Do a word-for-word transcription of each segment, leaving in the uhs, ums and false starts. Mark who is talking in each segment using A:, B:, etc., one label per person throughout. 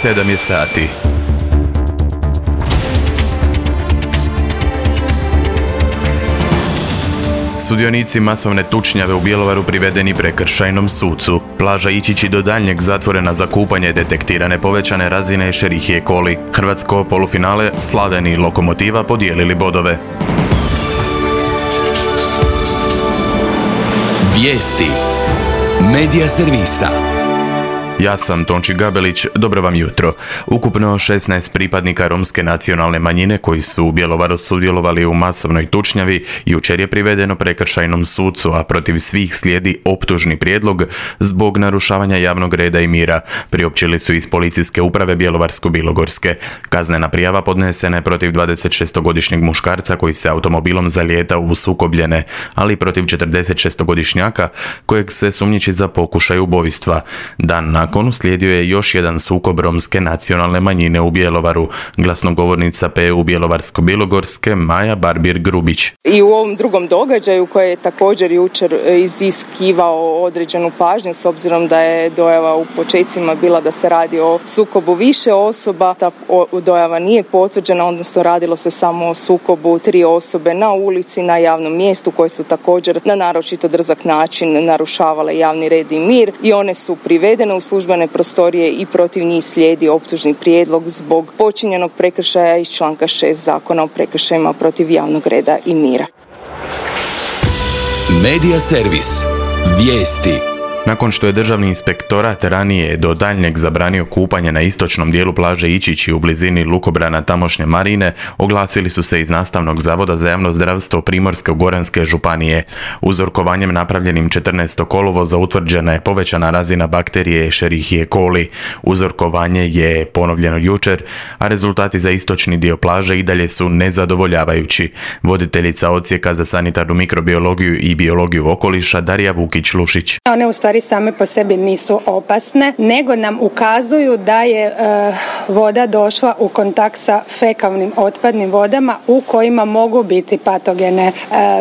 A: sedam je sati. Sudionici masovne tučnjave u Bjelovaru privedeni prekršajnom sucu. Plaža Ičići do daljnjeg zatvorena za kupanje, detektirane povećane razine Escherichie coli. Hrvatsko polufinale Slaveni i Lokomotiva podijelili bodove.
B: Vijesti Medija servisa.
A: Ja sam Tonči Gabelić, dobro vam jutro. Ukupno šesnaest pripadnika romske nacionalne manjine koji su u Bjelovaru sudjelovali u masovnoj tučnjavi jučer je privedeno prekršajnom sucu, a protiv svih slijedi optužni prijedlog zbog narušavanja javnog reda i mira, priopćili su iz policijske uprave Bjelovarsko-bilogorske. Kaznena prijava podnesena je protiv dvadesetšestogodišnjeg muškarca koji se automobilom zalijetao u sukobljene, ali i protiv četrdesetšestogodišnjaka kojeg se sumnjiči za pokušaj ubojstva. Dan nakon Nakon uslijedio je još jedan sukob romske nacionalne manjine u Bjelovaru. Glasnogovornica P U Bjelovarsko-bilogorske Maja Barbir-Grubić.
C: I u ovom drugom događaju koji je također jučer iziskivao određenu pažnju s obzirom da je dojava u počecima bila da se radi o sukobu više osoba, ta dojava nije potvrđena, odnosno radilo se samo o sukobu tri osobe na ulici, na javnom mjestu koje su također na naročito drzak način narušavale javni red i mir i one su privedene u službene prostorije i protiv njih slijedi optužni prijedlog zbog počinjenog prekršaja iz članka šest Zakona o prekršajima protiv javnog reda i mira.
B: Medija servis. Vijesti.
A: Nakon što je Državni inspektorat ranije do daljnjeg zabranio kupanje na istočnom dijelu plaže Ičići u blizini lukobrana tamošnje marine, oglasili su se iz Nastavnog zavoda za javno zdravstvo Primorsko-goranske županije. Uzorkovanjem napravljenim četrnaestog kolovoza utvrđena je povećana razina bakterije Escherichie coli. Uzorkovanje je ponovljeno jučer, a rezultati za istočni dio plaže i dalje su nezadovoljavajući. Voditeljica odsjeka za sanitarnu mikrobiologiju i biologiju okoliša Darija Vukić-Lušić.
D: One u stvari same po sebi nisu opasne, nego nam ukazuju da je e, voda došla u kontakt sa fekalnim otpadnim vodama u kojima mogu biti patogene e,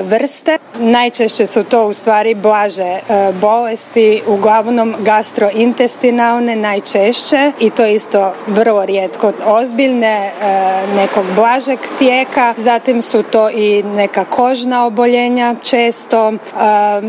D: vrste. Najčešće su to u stvari blaže e, bolesti, uglavnom gastrointestinalne najčešće i to isto vrlo rijetko ozbiljne, e, nekog blažeg tijeka. Zatim su to i neka kožna oboljenja, često e,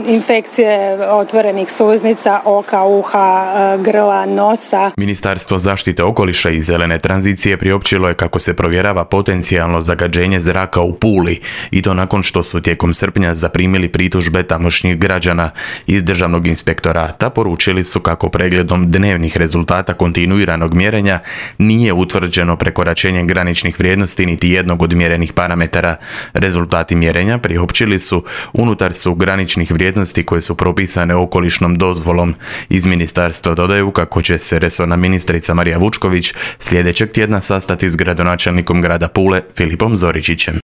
D: infekcije otvorenih sluznica, oka, uha, grla, nosa.
A: Ministarstvo zaštite okoliša i zelene tranzicije priopćilo je kako se provjerava potencijalno zagađenje zraka u Puli i to nakon što su tijekom srpnja zaprimili pritužbe tamošnjih građana. Iz Državnog inspektorata poručili su kako pregledom dnevnih rezultata kontinuiranog mjerenja nije utvrđeno prekoračenje graničnih vrijednosti niti jednog od mjerenih parametara. Rezultati mjerenja priopćili su unutar su graničnih vrijednosti koje su propisane okolišnom dozvolom. Iz ministarstva dodaju kako će se resorna ministrica Marija Vučković sljedećeg tjedna sastati s gradonačelnikom grada Pule Filipom Zoričićem.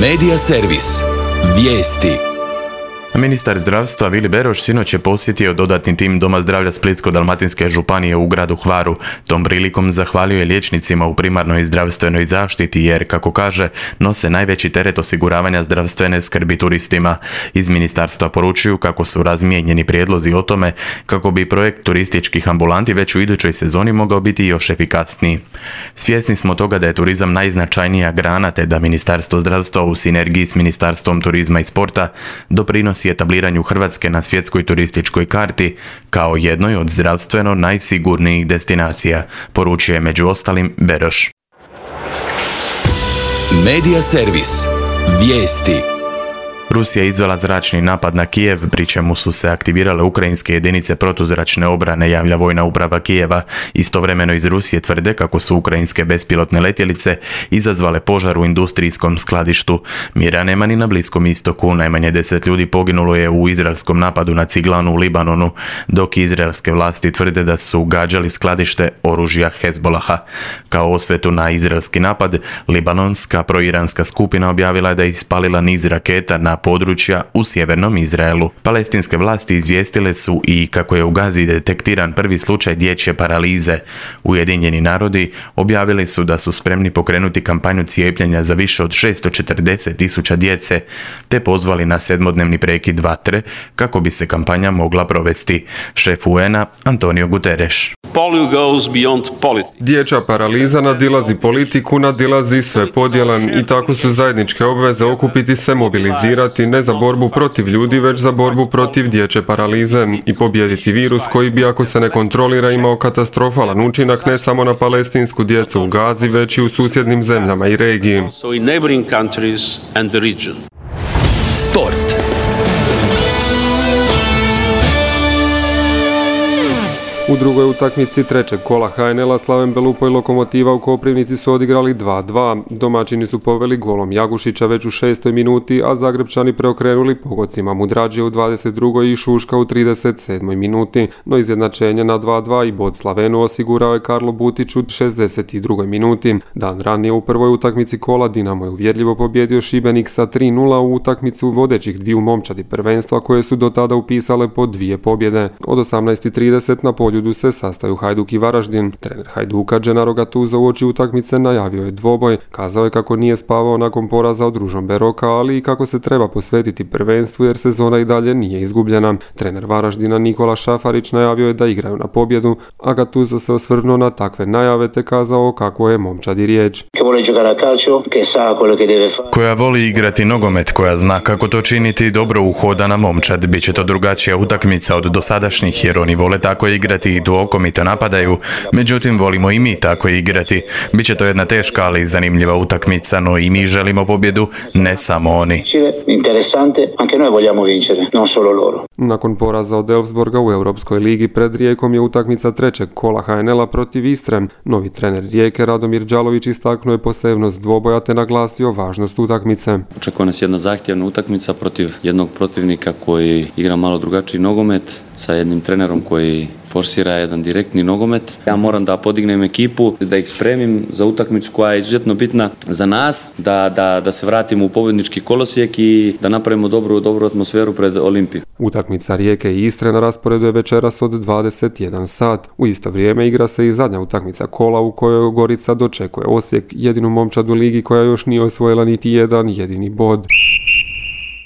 B: Medija servis. Vijesti.
A: Ministar zdravstva Vili Beroš sinoć je posjetio dodatni tim Doma zdravlja Splitsko-dalmatinske županije u gradu Hvaru. Tom prilikom zahvalio je liječnicima u primarnoj zdravstvenoj zaštiti jer, kako kaže, nose najveći teret osiguravanja zdravstvene skrbi turistima. Iz ministarstva poručuju kako su razmijenjeni prijedlozi o tome kako bi projekt turističkih ambulanti već u idućoj sezoni mogao biti još efikasniji. Svjesni smo toga da je turizam najznačajnija grana te da Ministarstvo zdravstva u sinergiji s Ministarstvom turizma i sporta doprinosi etabliranju Hrvatske na svjetskoj turističkoj karti kao jednoj od zdravstveno najsigurnijih destinacija, poručuje među ostalim Beroš.
B: Medija servis. Vijesti.
A: Rusija je izvela zračni napad na Kijev, pri čemu su se aktivirale ukrajinske jedinice protuzračne obrane, javlja vojna uprava Kijeva. Istovremeno iz Rusije tvrde kako su ukrajinske bespilotne letjelice izazvale požar u industrijskom skladištu. Mira nema ni na Bliskom istoku. Najmanje deset ljudi poginulo je u izraelskom napadu na ciglanu u Libanonu, dok izraelske vlasti tvrde da su gađali skladište oružja Hezbolaha. Kao osvetu na izraelski napad, libanonska proiranska skupina objavila je da je ispalila niz raketa na područja u sjevernom Izraelu. Palestinske vlasti izvijestile su i kako je u Gazi detektiran prvi slučaj dječje paralize. Ujedinjeni narodi objavili su da su spremni pokrenuti kampanju cijepljenja za više od šesto četrdeset tisuća djece, te pozvali na sedmodnevni prekid vatre kako bi se kampanja mogla provesti. Šef U N-a Antonio Guterres.
E: polio goes beyond politics.
F: Dječja paraliza nadilazi politiku, nadilazi sve podjele i tako su zajedničke obveze okupiti se, mobilizirati ne za borbu protiv ljudi, već za borbu protiv dječje paralize i pobijediti virus koji bi, ako se ne kontrolira, imao katastrofalan učinak ne samo na palestinsku djecu u Gazi, već i u susjednim zemljama i regiji.
E: So in neighboring countries and the region.
B: Sport.
F: U drugoj utakmici trećeg kola ha en el-a Slaven Belupo i Lokomotiva u Koprivnici su odigrali dva dva. Domaćini su poveli golom Jagušića već u šestoj minuti, a Zagrebčani preokrenuli pogodcima Mudrađije u dvadeset drugoj i Šuška u trideset sedmoj minuti. No izjednačenje na dva dva i bod Slavenu osigurao je Karlo Butić u šezdeset drugoj minuti. Dan ranije u prvoj utakmici kola Dinamo je uvjerljivo pobjedio Šibenik sa tri nula u utakmicu vodećih dviju momčadi prvenstva koje su do tada upisale po dvije pobjede. Od osamnaest trideset na polju se sastaju Hajduk i Varaždin. Trener Hajduka Gennaro Gattuso uoči utakmice najavio je dvoboj. Kazao je kako nije spavao nakon poraza od Ružombe Roka, ali i kako se treba posvetiti prvenstvu jer sezona i dalje nije izgubljena. Trener Varaždina Nikola Šafarić najavio je da igraju na pobjedu, a Gattuso se osvrnuo na takve najave te kazao kako je momčadi riječ.
A: Koja voli igrati nogomet, koja zna kako to činiti, dobro uhodana momčad. Biće to drugačija utakmica od dosadašnjih jer oni vole tako igrati i duokomito napadaju, međutim volimo i mi tako igrati. Biće to jedna teška ali zanimljiva utakmica, no i mi želimo pobjedu, ne samo oni.
F: Nakon poraza od Elfsborga u Europskoj ligi pred Rijekom je utakmica trećeg kola ha en el-a protiv Istre. Novi trener Rijeke Radomir Đalović istaknuo je posebnost dvoboja te naglasio važnost utakmice.
G: Očekuje nas jedna zahtjevna utakmica protiv jednog protivnika koji igra malo drugačiji nogomet, sa jednim trenerom koji forsira jedan direktni nogomet. Ja moram da podignem ekipu, da ih spremim za utakmicu koja je izuzetno bitna za nas, da, da, da se vratimo u pobjednički kolosijek i da napravimo dobru, dobru atmosferu pred Olimpiju.
F: Utakmica Rijeke i Istre na rasporedu je večeras od dvadeset jedan sat. U isto vrijeme igra se i zadnja utakmica kola u kojoj Gorica dočekuje Osijek, jedinu momčad u ligi koja još nije osvojila niti jedan jedini bod.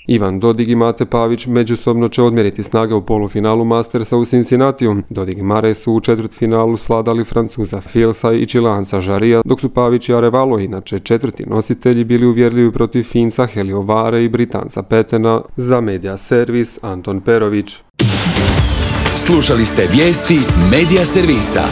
F: Ivan Dodig i Mate Pavić međusobno će odmjeriti snage u polufinalu Mastersa u Cincinnatiju. Dodig i Mare su u četvrtfinalu svladali Francuza Filsa i Čileanca Žarija, dok su Pavić i Arevalo, inače četvrti nositelji, bili uvjerljivi protiv Finca Heliovare i Britanca Petena. Za Media Servis Anton Perović.
B: Slušali ste vijesti Media Servisa.